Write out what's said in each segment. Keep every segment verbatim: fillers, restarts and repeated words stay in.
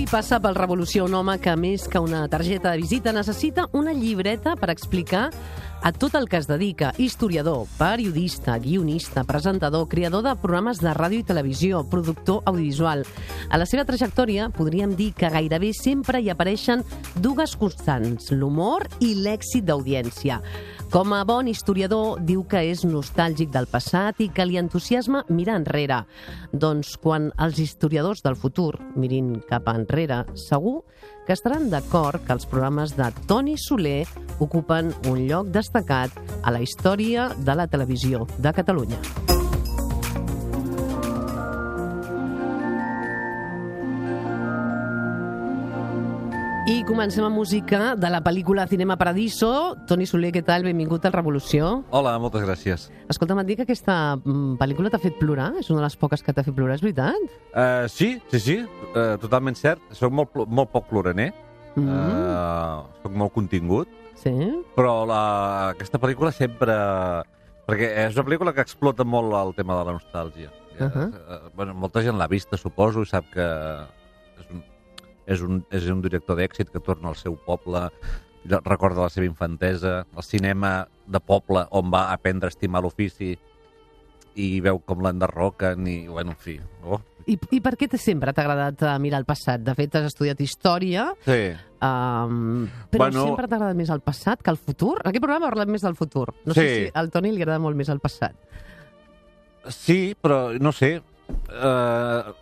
passa pel Revolució un home que, més que una targeta de visita, necessita una llibreta per explicar a tot el que es dedica. Historiador, periodista, guionista, presentador, creador de programes de ràdio i televisió, productor audiovisual. A la seva trajectòria podríem dir que gairebé sempre hi apareixen dues constants, l'humor i l'èxit d'audiència. Com a bon historiador, diu que és nostàlgic del passat i que li entusiasma mirar enrere. Doncs quan els historiadors del futur mirin cap enrere, segur que estaran d'acord que els programes de Toni Soler ocupen un lloc destacat a la història de la televisió de Catalunya. I comencem amb música de la pel·lícula Cinema Paradiso. Toni Soler, què tal? Benvingut al Revolució. Hola, moltes gràcies. Escolta, m'han dit que aquesta pel·lícula t'ha fet plorar? És una de les poques que t'ha fet plorar, és veritat? Uh, sí, sí, sí, uh, totalment cert. Soc molt, molt poc ploraner, mm -hmm. uh, soc molt contingut, sí. Però la, aquesta pel·lícula sempre... Perquè és una pel·lícula que explota molt el tema de la nostàlgia. Uh -huh. uh, bueno, molta gent l'ha vista, suposo, i sap que és un... És un, és un director d'èxit que torna al seu poble, recorda la seva infantesa, el cinema de poble on va aprendre a estimar l'ofici i veu com l'enderroquen i, bueno, en fi... Oh. I, I per què sempre t'ha agradat mirar el passat? De fet, has estudiat història, sí. um, però bueno, sempre t'ha agradat més el passat que el futur? En aquest programa ha parlat més del futur. No sí. sé si al Toni li agrada molt més el passat. Sí, però no sé... Uh...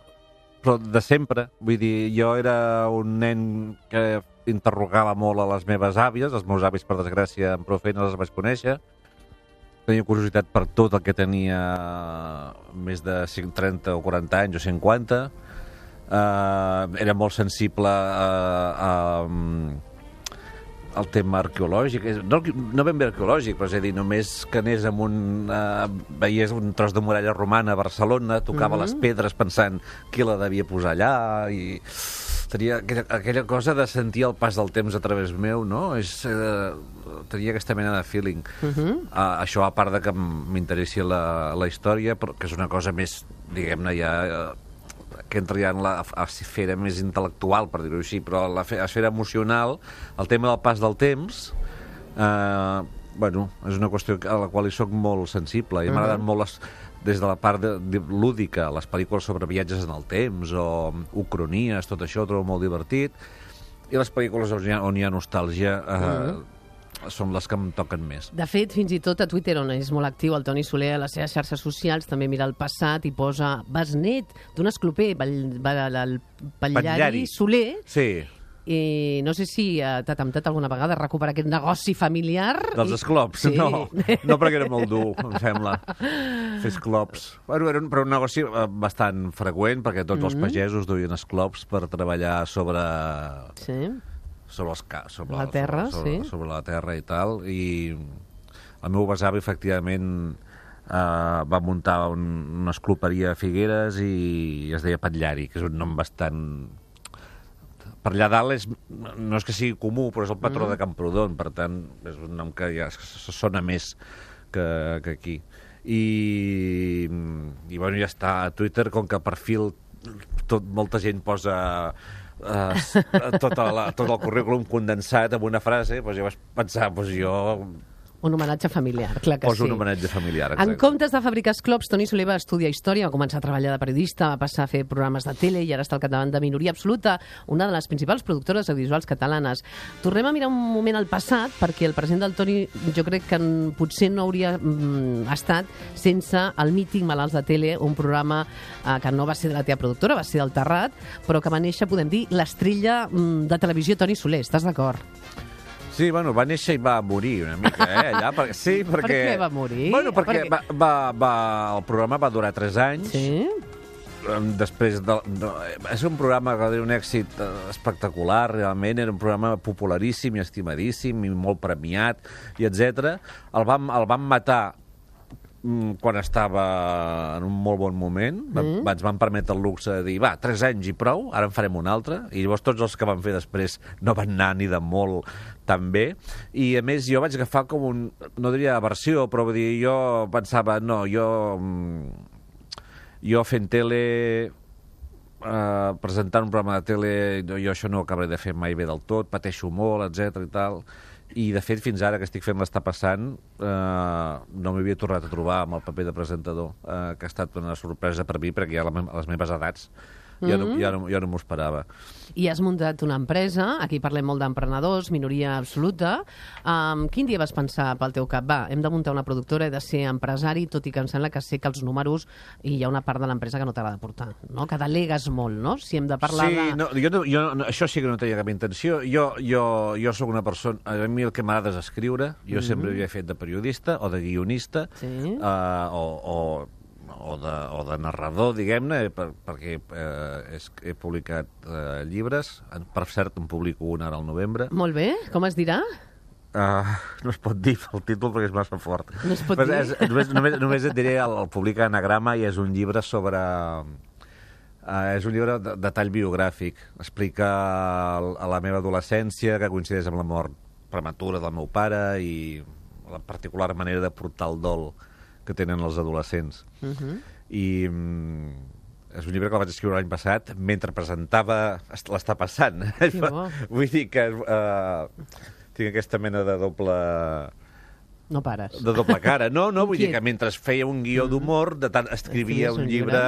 però de sempre. Vull dir, jo era un nen que interrogava molt a les meves àvies, els meus avis, per desgràcia, amb prou feina les vaig conèixer. Tenia curiositat per tot el que tenia més de trenta o quaranta anys o cinquanta. Uh, era molt sensible a... a, a el tema arqueològic, no, no ben bé arqueològic, però és a dir, només que anés amb un... Uh, veies un tros de muralla romana a Barcelona, tocava mm -hmm. les pedres pensant qui la devia posar allà, i tenia aquella, aquella cosa de sentir el pas del temps a través meu, no? És, uh, tenia aquesta mena de feeling. Mm -hmm. uh, això, a part de que m'interessi la, la història, però que és una cosa més, diguem-ne, ja... Uh, que entra ja en la esfera més intel·lectual, per dir-ho així, però la esfera emocional, el tema del pas del temps, eh, bueno, és una qüestió a la qual hi soc molt sensible, i uh -huh. m'agraden molt les, des de la part de, de, lúdica, les pel·lícules sobre viatges en el temps, o ucronies, tot això ho trobo molt divertit, i les pel·lícules on hi ha, on hi ha nostàlgia eh, uh -huh. són les que em toquen més. De fet, fins i tot a Twitter, on és molt actiu el Toni Soler, a les seves xarxes socials, també mira el passat i posa besnet d'un escloper, el Patllari Soler. Sí. I no sé si t'ha temptat alguna vegada recuperar aquest negoci familiar. Dels esclops? Sí. No, no, perquè era molt dur, em sembla, fer esclops. Bueno, era un, però un negoci bastant freqüent, perquè tots mm-hmm. els pagesos duien esclops per treballar sobre... Sí. sobre, els, sobre la terra, sobre, sobre, sí. sobre la terra i tal, i el meu besavi, efectivament, eh, va muntar un, una escloperia a Figueres i es deia Patllari, que és un nom bastant... Per allà dalt és, no és que sigui comú, però és el patró mm. de Camprodon, per tant, és un nom que ja sona més que, que aquí. I, i, bueno, ja està a Twitter, com que per fil tot, molta gent posa... Uh, tota la, tot el currículum condensat en una frase, doncs jo vaig pensar, doncs jo... Un homenatge familiar, clar que Poso sí. un homenatge familiar, exacte. En comptes de fabricar esclops, Toni Soler va estudiar història, va començar a treballar de periodista, va passar a fer programes de tele i ara està al capdavant de Minoria Absoluta, una de les principals productores audiovisuals catalanes. Tornem a mirar un moment al passat, perquè el present del Toni jo crec que potser no hauria mm, estat sense el mític Malalts de Tele, un programa eh, que no va ser de la teva productora, va ser del Terrat, però que va néixer, podem dir, l'estrella mm, de televisió Toni Soler. Estàs d'acord? Sí, bueno, va néixer i va morir una mica, eh, allà. Per, sí, perquè... Per què va morir? Bueno, perquè per va, va, va, el programa va durar tres anys. Sí? Després de, de... És un programa que va tenir un èxit espectacular, realment. Era un programa popularíssim i estimadíssim i molt premiat, i etcètera. El vam, el vam matar quan estava en un molt bon moment. Mm. Ens van permetre el luxe de dir, va, tres anys i prou, ara en farem un altre. I llavors tots els que van fer després no van anar ni de molt tan bé. I a més jo vaig agafar com un, no diria aversió, però vull dir, jo pensava, no, jo, jo fent tele uh, presentant un programa de tele, jo, jo això no ho acabaré de fer mai bé del tot, pateixo molt, etcètera i tal. I, de fet, fins ara que estic fent l'Està passant, eh, no m'havia tornat a trobar amb el paper de presentador, eh, que ha estat una sorpresa per mi, perquè ja a les meves edats ja no, ja no, ja no m'ho esperava. I has muntat una empresa, aquí parlem molt d'emprenedors, minoria absoluta. Um, quin dia vas pensar pel teu cap? Va, hem de muntar una productora, he de ser empresari, tot i que em sembla que sé que els números i hi ha una part de l'empresa que no t'ha de portar, no? Que delegues molt, no? Si hem de parlar sí, de... no, jo, no, jo no, això sí que no tenia cap intenció. Jo, jo, jo sóc una persona... A mi el que m'agrada és escriure. Jo mm-hmm. sempre havia fet de periodista o de guionista sí. uh, o... o O de, o de narrador, diguem-ne, per, perquè eh, és, he publicat eh, llibres. Per cert, en publico un ara al novembre. Molt bé. Com es dirà? Uh, no es pot dir el títol perquè és massa fort. No es pot Però dir? És, només, només, només et diré, el, el publica Anagrama i és un llibre sobre... Uh, és un llibre de, de tall biogràfic. Explica el, a la meva adolescència, que coincideix amb la mort prematura del meu pare i la particular manera de portar el dol que tenen els adolescents. Uh-huh. I mm, és un llibre que el vaig escriure l'any passat mentre presentava l'Està passant. Vull dir que uh, tinc aquesta mena de doble... No pares. De doble cara. No, no, vull dir que mentre feia un guió d'humor, de tant escrivia un llibre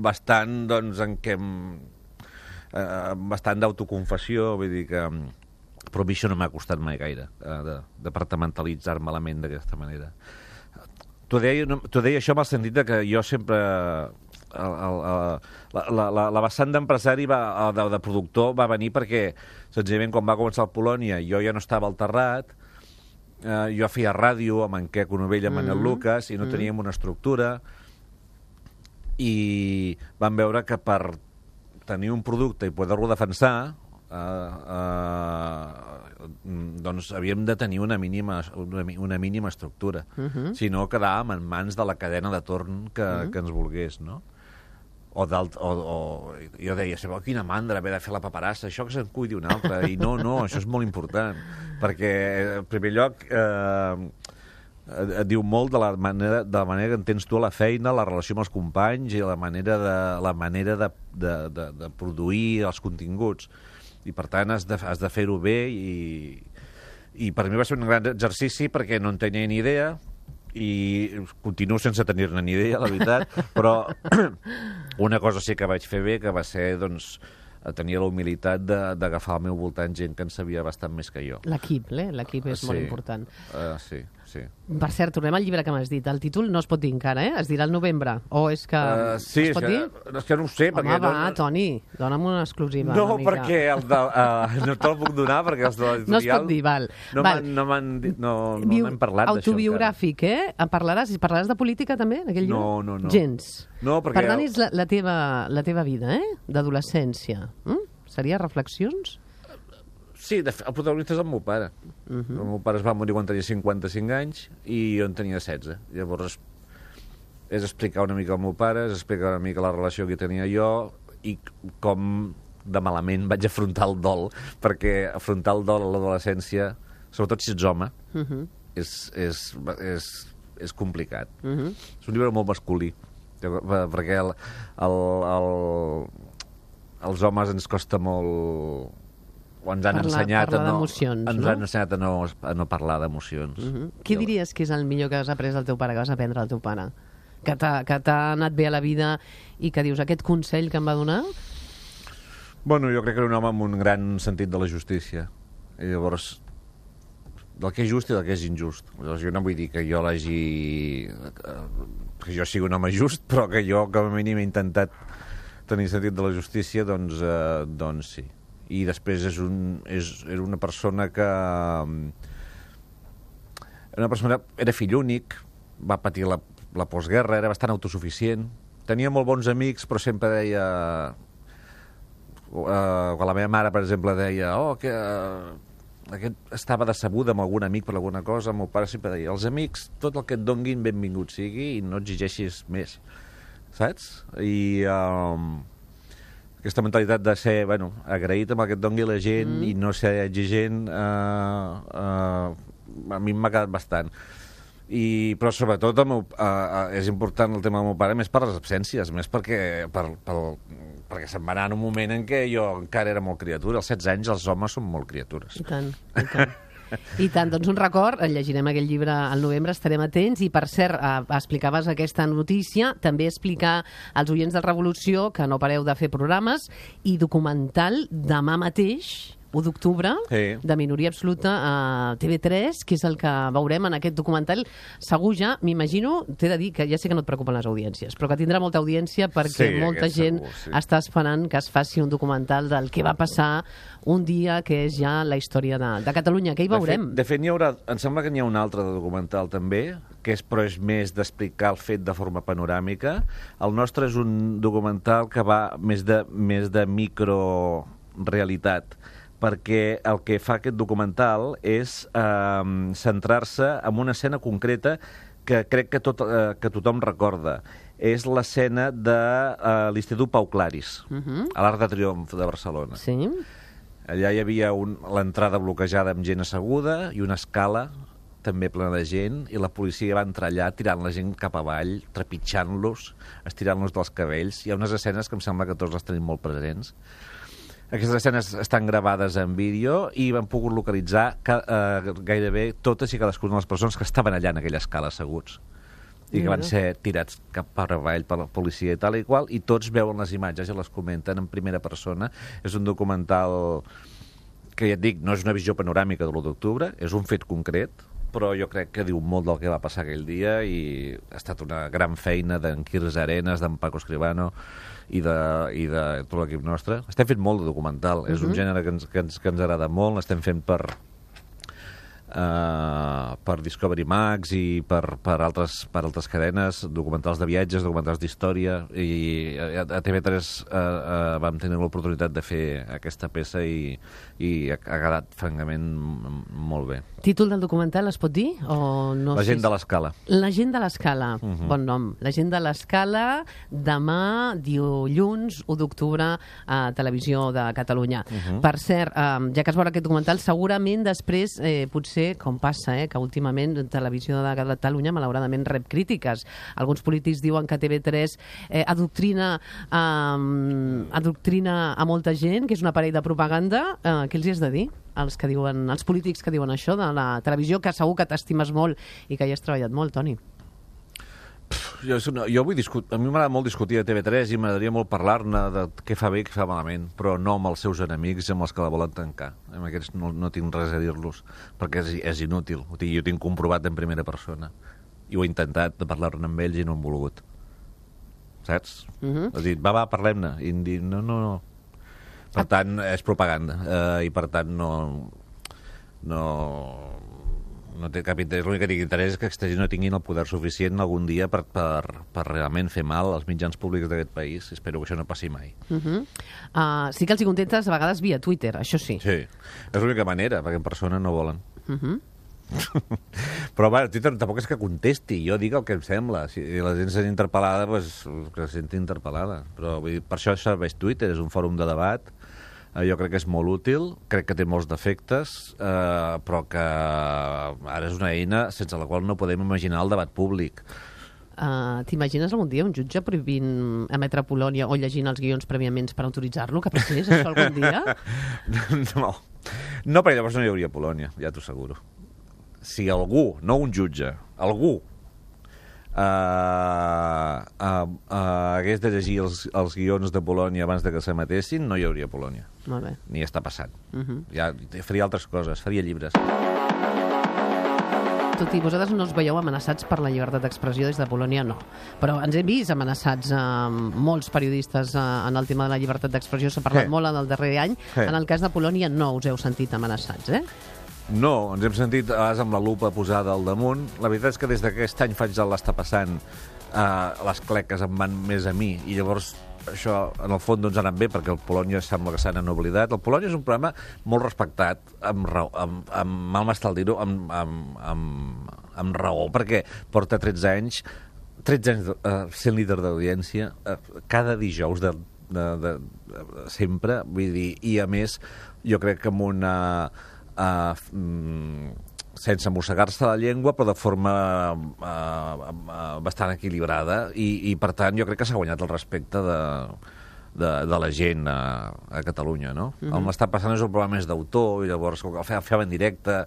bastant, doncs, en què... Uh, bastant d'autoconfessió, vull dir que... Però a mi això no m'ha costat mai gaire, uh, de departamentalitzar-me la ment d'aquesta manera. T'ho deia, no, deia això amb el sentit que jo sempre... El, el, el, la, la, la vessant d'empresari, de, de productor, va venir perquè, senzillament, quan va començar el Polònia, jo ja no estava al Terrat, eh, jo feia ràdio amb en Queco Novell, amb Manel mm-hmm. Lucas, i no mm-hmm. teníem una estructura, i vam veure que per tenir un producte i poder-lo defensar, eh, eh, doncs havíem de tenir una mínima, una, una mínima estructura. Uh-huh. Si no, quedàvem en mans de la cadena de torn que, uh-huh. que ens volgués, no? O, o, o jo deia, sabeu quina mandra haver de fer la paperassa, això que se'n cuidi un altre. I no, no, això és molt important. Perquè, en primer lloc, eh, et diu molt de la manera, de la manera que entens tu a la feina, la relació amb els companys i la manera de, la manera de, de, de, de produir els continguts. I, per tant, has de, has de fer-ho bé i, i per mi va ser un gran exercici perquè no en tenia ni idea i continuo sense tenir-ne ni idea, la veritat, però una cosa sí que vaig fer bé, que va ser, doncs, tenir la humilitat d'agafar al meu voltant gent que en sabia bastant més que jo. L'equip, eh? L'equip és sí. molt important. Uh, sí, sí. Per cert, tornem al llibre que m'has dit. El títol no es pot dir encara, eh? Es dirà al novembre. O és que... Uh, sí, es pot és dir? Que, és que no ho sé. Home, perquè va, no, Toni, dona'm una exclusiva. No, una perquè el de, uh, no te'l puc donar, perquè els de l'editorial... No es pot dir, val. No val. No m'han no, no n'hem parlat d'això. Autobiogràfic, eh? Parlaràs, parlaràs de política, també, en aquell llibre? No, no, no. Gens. No, perquè... Per tant, és la, la, teva, la teva vida, eh? D'adolescència. Mm? Seria reflexions? Sí, de fet, el protagonista és el meu pare. Uh -huh. El meu pare es va morir quan tenia cinquanta-cinc anys i jo en tenia setze. Llavors, és explicar una mica el meu pare, és explicar una mica la relació que tenia jo i com de malament vaig afrontar el dol, perquè afrontar el dol a l'adolescència, sobretot si ets home, uh -huh. és, és, és, és complicat. Uh -huh. És un llibre molt masculí, perquè el... el, el els homes ens costa molt... O ens han parlar, ensenyat, a no, ens no? han ensenyat a no, a no parlar d'emocions. Uh -huh. Què diries que és el millor que has après del teu pare, que vas aprendre del teu pare? Que t'ha anat bé a la vida i que dius, aquest consell que em va donar? Bueno, jo crec que era un home amb un gran sentit de la justícia. I llavors, del que és just i del que és injust. Llavors, jo no vull dir que jo l'hagi... que jo sigui un home just, però que jo, com a mínim, he intentat tenir sentit de la justícia, doncs, eh, doncs sí. I després és un, és, era una persona que... Era una persona... Era fill únic, va patir la, la postguerra, era bastant autosuficient, tenia molt bons amics, però sempre deia... Eh, quan la meva mare, per exemple, deia oh, que eh, aquest estava decebuda amb algun amic per alguna cosa, el meu pare sempre deia els amics, tot el que et donguin, benvingut sigui i no exigeixis més. Saps? I um, aquesta mentalitat de ser, bueno, agraït amb el que et doni la gent mm. i no ser exigent, uh, uh, a mi m'ha quedat bastant. I, però sobretot el meu, uh, uh, és important el tema del meu pare més per les absències, més perquè, per, per, perquè se'n va anar en un moment en què jo encara era molt criatura. Als setze anys els homes són molt criatures. I tant, i tant. I tant, doncs un record, llegirem aquell llibre al novembre, estarem atents, i per cert, eh, explicaves aquesta notícia, també explicar als oients de Revolució que no pareu de fer programes, i documental demà mateix, u d'octubre, sí. de Minoria Absoluta a T V tres, que és el que veurem en aquest documental. Segur ja, m'imagino, t'he de dir que ja sé que no et preocupen les audiències, però que tindrà molta audiència perquè sí, molta gent segur, sí. està esperant que es faci un documental del que va passar un dia que és ja la història de, de Catalunya, que hi veurem. De fet, de fet n'hi haurà, em sembla que n'hi ha un altre de documental també, que és, però és més d'explicar el fet de forma panoràmica. El nostre és un documental que va més de, més de microrealitat, perquè el que fa aquest documental és eh, centrar-se en una escena concreta que crec que, tot, eh, que tothom recorda. És l'escena de eh, l'Institut Pau Claris, uh-huh. a l'Arc de Triomf de Barcelona. Sí. Allà hi havia un, l'entrada bloquejada amb gent asseguda i una escala també plena de gent, i la policia va entrar allà tirant la gent cap avall, trepitjant-los, estirant-los dels cabells. Hi ha unes escenes que em sembla que tots les tenim molt presents. Aquestes escenes estan gravades en vídeo i van pogut localitzar ca, eh, gairebé totes i cadascuna de les persones que estaven allà en aquella escala asseguts i que van ser tirats cap per avall per la policia i tal i qual, i tots veuen les imatges i les comenten en primera persona. És un documental que, ja et dic, no és una visió panoràmica de l'u d'octubre, és un fet concret, però jo crec que diu molt del que va passar aquell dia, i ha estat una gran feina d'en Quirze Arenas, d'en Paco Escribano i de, i de tot l'equip nostre. Estem fent molt de documental, uh-huh. és un gènere que ens, que ens, que ens agrada molt, l'estem fent per Uh, per Discovery Max i per, per, altres, per altres cadenes, documentals de viatges, documentals d'història, i a, a T V tres uh, uh, vam tenir l'oportunitat de fer aquesta peça i, i ha, ha quedat francament molt bé. Títol del documental es pot dir? O no? La gent de l'escala. La gent de l'escala, uh-huh. bon nom. La gent de l'escala, demà, dilluns, u d'octubre, a Televisió de Catalunya. Uh-huh. Per cert, um, ja que es veurà aquest documental, segurament després, eh, potser com passa, eh, que últimament Televisió de Catalunya malauradament rep crítiques. Alguns polítics diuen que T V tres eh, adoctrina, eh, adoctrina a molta gent, que és un aparell de propaganda. Eh, què els hi has de dir? Els, que diuen, els polítics que diuen això de la televisió, que segur que t'estimes molt i que hi has treballat molt, Toni. Jo, jo vull discutir, a mi m'agrada molt discutir de T V tres i m'agradaria molt parlar-ne de què fa bé i què fa malament, però no amb els seus enemics i amb els que la volen tancar. Amb aquests no, no tinc res a dir-los, perquè és, és inútil. O sigui, jo ho tinc comprovat en primera persona. I ho he intentat de parlar-ne amb ells i no han volgut. Saps? Uh-huh. Has dit, va, va, parlem-ne. I em dic, no, no, no. Per tant, és propaganda. Eh, I per tant, no... no no té cap interès, l'únic que tingui interès és que aquesta gent no tinguin el poder suficient algun dia per, per, per realment fer mal als mitjans públics d'aquest país. Espero que això no passi mai. Uh-huh. uh, sí que els hi contentes a vegades via Twitter, això sí. Sí, és l'única manera, perquè en persona no volen. Uh-huh. Però va, Twitter tampoc és que contesti, jo dic el que em sembla. Si la gent s'ha interpel·lada, doncs que se senti interpel·lada. Però vull dir, per això serveix Twitter, és un fòrum de debat. Jo crec que és molt útil, crec que té molts defectes, eh, però que ara és una eina sense la qual no podem imaginar el debat públic. Uh, T'imagines algun dia un jutge prohibint emetre Polònia o llegint els guions prèviament per autoritzar-lo? Que passés això algun dia? No, no, perquè llavors no hi hauria Polònia, ja t'ho asseguro. Si algú, no un jutge, algú Uh, uh, uh, hagués de llegir els, els guions de Polònia abans de que s'emetessin, no hi hauria Polònia. Molt bé. Ni està passant. Uh-huh. Ja faria altres coses, faria llibres. Tot i vosaltres no us veieu amenaçats per la llibertat d'expressió des de Polònia, no. Però ens hem vist amenaçats eh, molts periodistes eh, en el tema de la llibertat d'expressió. S'ha parlat Què? molt en el darrer any. Què? En el cas de Polònia no us heu sentit amenaçats, eh? No, ens hem sentit a vegades amb la lupa posada al damunt. La veritat és que des d'aquest any faig el l'està passant, eh, les cleques em van més a mi, i llavors això, en el fons, doncs ha anat bé, perquè el Polònia sembla que s'han oblidat. El Polònia és un programa molt respectat, amb raó, amb, amb mal m'està el dir-ho, amb, amb, amb, amb raó, perquè porta tretze anys, tretze anys eh, sent líder d'audiència, eh, cada dijous de, de, de, de sempre, vull dir, i a més, jo crec que amb una... Uh, sense mossegar-se la llengua, però de forma uh, uh, bastant equilibrada, i, i per tant jo crec que s'ha guanyat el respecte de, de, de la gent a, a Catalunya, no? Mm-hmm. El m'està passant és un programa més d'autor, i llavors el feia en directe,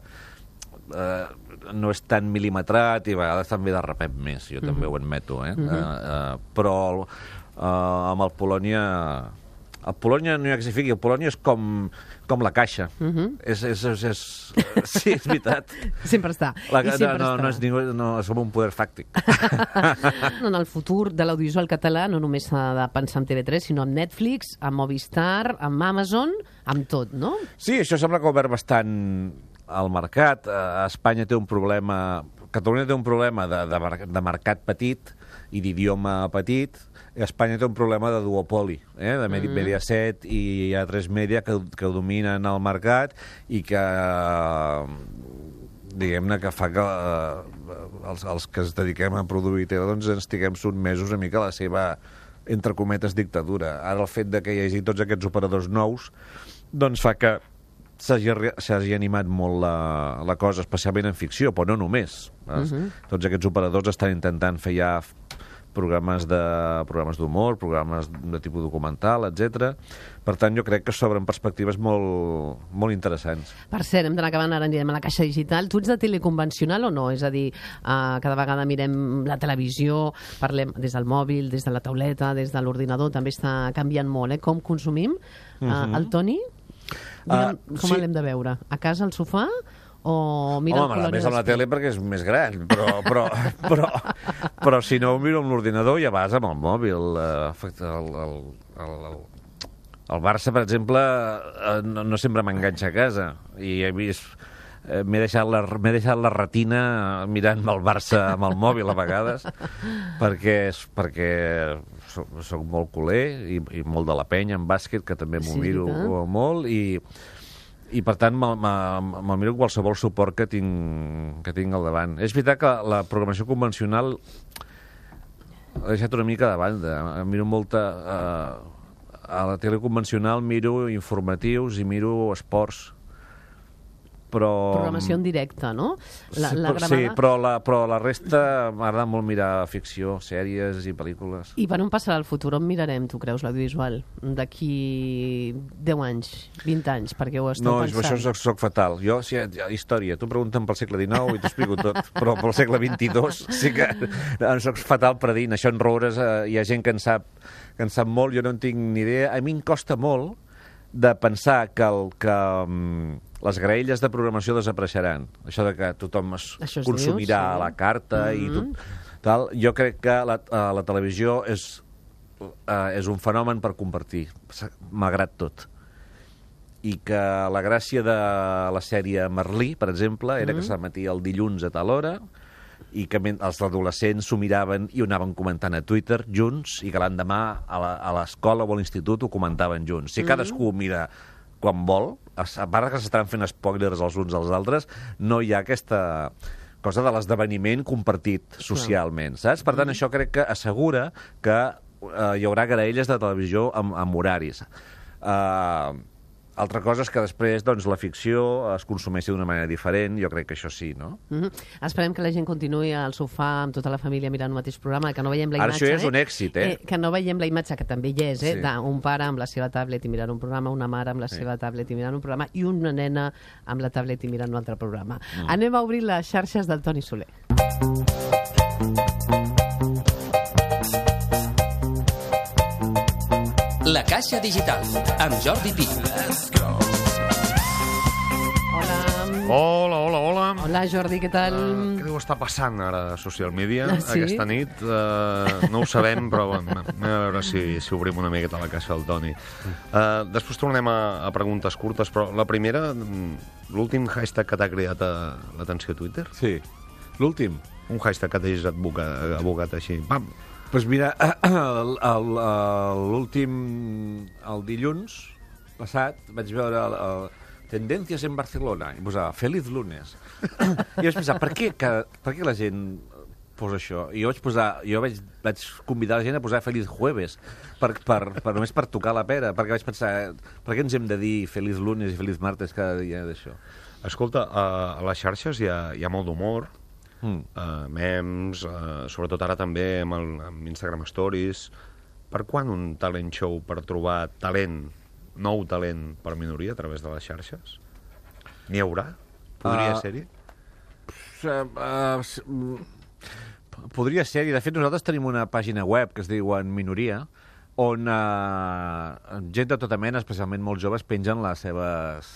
uh, no és tan mil·limetrat, i a vegades també de repet més, jo mm-hmm. també ho admeto, eh? Mm-hmm. uh, uh, però uh, amb el Polònia... El Polònia no hi ha que s'hi fiqui, el Polònia és com, com la caixa. Uh-huh. és, és, és, és, sí, és veritat. Sempre està. La, I sempre no, està. no, és ningú, no, som un poder fàctic. En el futur de l'audiovisual català no només s'ha de pensar en T V tres, sinó en Netflix, en Movistar, en Amazon, amb tot, no? Sí, això sembla que ha obert bastant el mercat. A Espanya té un problema... Catalunya té un problema de, de, de mercat petit i d'idioma petit. A Espanya té un problema de duopoli, eh? de Medi- mm. Mediaset i A tres Media que, que dominen el mercat i que, diguem-ne, que fa que eh, els, els que es dediquem a produir tele doncs estiguem sotmesos una mica a la seva, entre cometes, dictadura. Ara el fet de que hi hagi tots aquests operadors nous doncs fa que s'hagi animat molt la, la cosa, especialment en ficció, però no només. Uh-huh. Tots aquests operadors estan intentant fer ja programes de programes d'humor, programes de tipus documental, etcètera. Per tant, jo crec que s'obren perspectives molt, molt interessants. Per cert, hem d'anar acabant, ara anirem a la caixa digital. Tu ets de teleconvencional o no? És a dir, uh, cada vegada mirem la televisió, parlem des del mòbil, des de la tauleta, des de l'ordinador, també està canviant molt, eh? Com consumim. Uh, uh-huh. El Toni? Uh, com sí. l'hem de veure? A casa, al sofà? O mira Home, m'agrada més amb la tele perquè és més gran, però, però, però, però si no ho miro amb l'ordinador ja vas amb el mòbil. El, el, el, el, el Barça, per exemple, no, no sempre m'enganxa a casa, i he vist... M'he deixat, la, m'he deixat la retina mirant el Barça amb el mòbil a vegades, perquè, perquè soc, soc molt culer i, i molt de la penya en bàsquet, que també m'ho sí, miro eh? molt, i... i per tant me'l miro qualsevol suport que tinc, que tinc al davant. És veritat que la programació convencional l'he deixat una mica de banda. Miro molta... Eh, a la tele convencional miro informatius i miro esports. Però... Programació en directe, no? La, sí, la gravada... sí però, la, però la resta m'agrada molt mirar ficció, sèries i pel·lícules. I per on passarà el futur? On mirarem, tu creus, l'audiovisual? D'aquí deu anys, vint anys, perquè ho esteu no, pensant? No, això soc, soc fatal. Jo, si, història, tu pregunta'm pel segle dinou i t'ho explico tot, però pel segle vint-i-dos sí que soc fatal predint. Això en roures eh, hi ha gent que en sap, que en sap molt, jo no en tinc ni idea. A mi em costa molt de pensar que, el, que um, les graelles de programació desapareixeran. Això de que tothom es Això es consumirà diu, sí. a la carta mm-hmm. i tot, tal. Jo crec que la, uh, la televisió és, uh, és un fenomen per compartir, malgrat tot. I que la gràcia de la sèrie Merlí, per exemple, era mm-hmm. que s'emetia el dilluns a tal hora, i que els adolescents s'ho miraven i ho anaven comentant a Twitter junts, i que l'endemà a l'escola o a l'institut ho comentaven junts. Si mm-hmm. cadascú mira quan vol, a part que s'estan fent spoilers els uns als altres, no hi ha aquesta cosa de l'esdeveniment compartit socialment, saps? Per tant, mm-hmm. això crec que assegura que eh, hi haurà graelles de televisió amb, amb horaris. Eh... Altra cosa és que després doncs, la ficció es consumeixi d'una manera diferent, jo crec que això sí, no? Mm-hmm. Esperem que la gent continuï al sofà amb tota la família mirant el mateix programa, que no veiem la Ara imatge... Ara això és un èxit, eh? eh? Que no veiem la imatge, que també hi és, eh? Sí. d'un pare amb la seva tablet i mirant un programa, una mare amb la sí. seva tablet i mirant un programa, i una nena amb la tablet i mirant un altre programa. Mm. Anem a obrir les xarxes del Toni Soler. La Caixa Digital, amb Jordi Pi. Hola. Hola, hola, hola. Hola, Jordi, què tal? Uh, què deu estar passant ara a social media ah, sí? aquesta nit? Uh, no ho sabem, però bueno, anem a veure si, si obrim una miqueta la caixa del Toni. Uh, després tornem a, a preguntes curtes, però la primera, l'últim hashtag que t'ha cridat l'atenció a Twitter? Sí, l'últim. Un hashtag que t'hagis abocat, abocat així. Pam! Doncs pues mira, l'últim, el dilluns passat, vaig veure el, el Tendències en Barcelona, i posava Feliz lunes. I vaig pensar, per què, que, per què la gent posa això? I jo vaig posar, jo vaig, vaig convidar la gent a posar Feliz jueves, per, per, per, només per tocar la pera, perquè vaig pensar, per què ens hem de dir Feliz lunes i Feliz martes cada dia d'això? Escolta, a les xarxes hi ha, hi ha molt d'humor, Mm. uh, memes, uh, sobretot ara també amb, el, amb Instagram Stories. Per quan un talent show per trobar talent, nou talent per minoria a través de les xarxes? N'hi haurà? Podria Uh, ser-hi? Uh, uh, s- mm, podria ser, i de fet nosaltres tenim una pàgina web que es diu En Minoria, on uh, gent de tota mena, especialment molt joves, pengen les seves,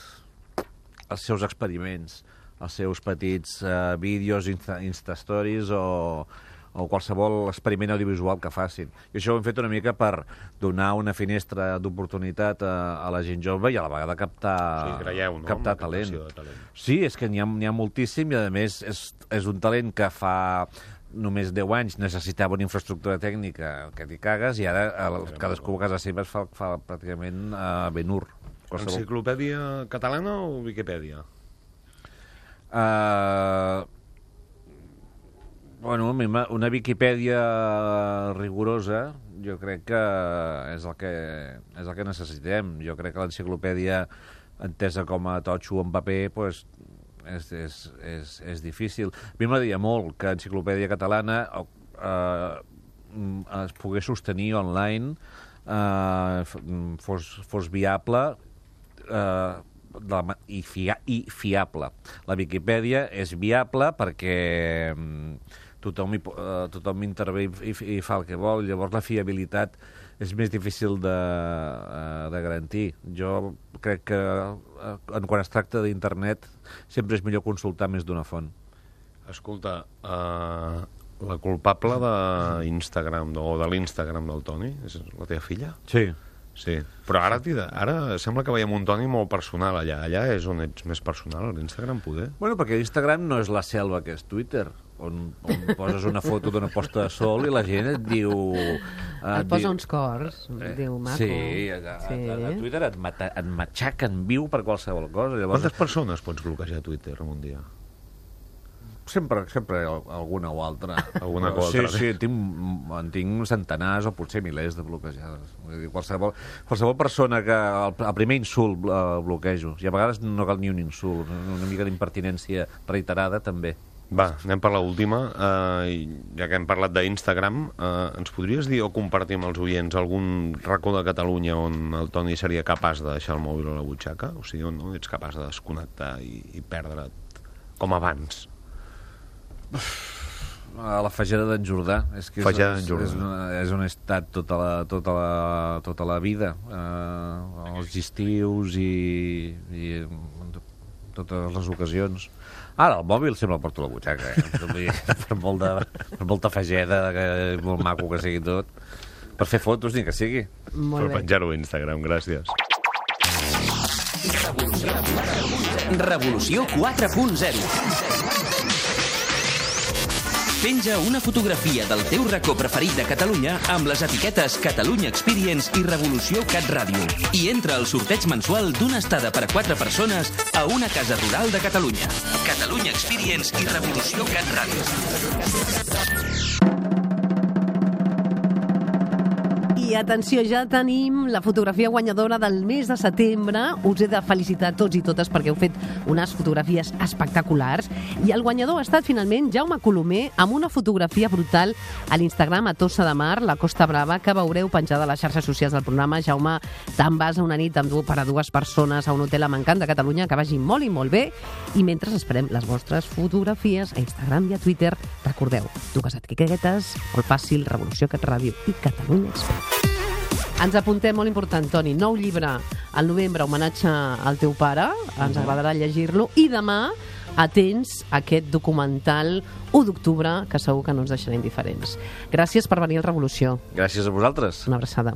els seus experiments, els seus petits uh, vídeos, insta, Insta-stories o, o qualsevol experiment audiovisual que facin. I això ho hem fet una mica per donar una finestra d'oportunitat a, a la gent jove i a la vegada captar, Sí, creieu, no? captar Amb la talent. captació de talent. Sí, és que n'hi ha, n'hi ha moltíssim i, a més, és, és un talent que fa només deu anys necessitava una infraestructura tècnica que t'hi cagues i ara el, cadascú a casa seva es fa, fa pràcticament uh, Ben-Hur. Qualsevol... Enciclopèdia catalana o Viquipèdia? Uh, bueno, una Viquipèdia rigorosa jo crec que és el que, és el que necessitem. Jo crec que l'enciclopèdia entesa com a totxo en paper pues, és, és, és, és difícil. A mi m'agradaria molt que l'enciclopèdia catalana uh, es pogués sostenir online, uh, fos, fos viable uh, de la, i, fia, i fiable. La Viquipèdia és viable perquè um, tothom, hi, uh, tothom intervé i, i fa el que vol, llavors la fiabilitat és més difícil de, uh, de garantir. Jo crec que uh, quan es tracta d'internet sempre és millor consultar més d'una font. Escolta, uh, la culpable d'Instagram o de l'Instagram del Toni és la teva filla? Sí. Sí, però ara, ara sembla que veiem un Toni molt personal allà. Allà és on ets més personal, a l'Instagram, poder? Bueno, perquè Instagram no és la selva que és Twitter, on, on poses una foto d'una posta de sol i la gent et diu... Et, et posa diu, uns cors, eh, diu maco. Sí, a, a, a, a Twitter et, mata, et matxaquen viu per qualsevol cosa. Llavors... Quantes persones pots bloquejar a Twitter en un dia? Sempre, sempre alguna o altra. Alguna cosa. Sí, sí, tinc, en tinc centenars o potser milers de bloquejades. Vull dir, qualsevol, qualsevol persona que el, el primer insult eh, bloquejo. I a vegades no cal ni un insult, una mica d'impertinència reiterada també. Va, anem per l'última. Uh, ja que hem parlat d'Instagram, uh, ens podries dir o compartir amb els oients algun racó de Catalunya on el Toni seria capaç de deixar el mòbil a la butxaca? O sigui, on no ets capaç de desconnectar i, i perdre't com abans? A la Fageda d'en Jordà. És que és, Fageda d'en Jordà. És, una, és on he estat tota la, tota la, tota la vida. Uh, els estius i, i totes les ocasions. Ara, el mòbil sempre el porto a la butxaca, eh? per, molt de, per molta Fageda, que, molt maco que sigui tot. Per fer fotos, ni que sigui. Molt per penjar-ho a Instagram, gràcies. Revolució quatre punt zero. Penja una fotografia del teu racó preferit de Catalunya amb les etiquetes Catalunya Experience i Revolució Cat Ràdio. I entra al sorteig mensual d'una estada per a quatre persones a una casa rural de Catalunya. Catalunya Experience i Revolució Cat Ràdio. I atenció, ja tenim la fotografia guanyadora del mes de setembre. Us he de felicitar tots i totes perquè heu fet unes fotografies espectaculars. I el guanyador ha estat finalment Jaume Colomer amb una fotografia brutal a l'Instagram a Tossa de Mar, la Costa Brava, que veureu penjada a les xarxes socials del programa. Jaume, te'n vas a una nit amb du per a dues persones a un hotel a Mancant de Catalunya, que vagi molt i molt bé. I mentre esperem les vostres fotografies a Instagram i a Twitter, recordeu, dues etiquetes, molt fàcil, Revolució Cat Ràdio i Catalunya Experience. Ens apuntem, molt important, Toni, nou llibre al novembre, homenatge al teu pare, ens agradarà llegir-lo, i demà atents a aquest documental u d'octubre, que segur que no ens deixarà indiferents. Gràcies per venir al Revolució. Gràcies a vosaltres. Una abraçada.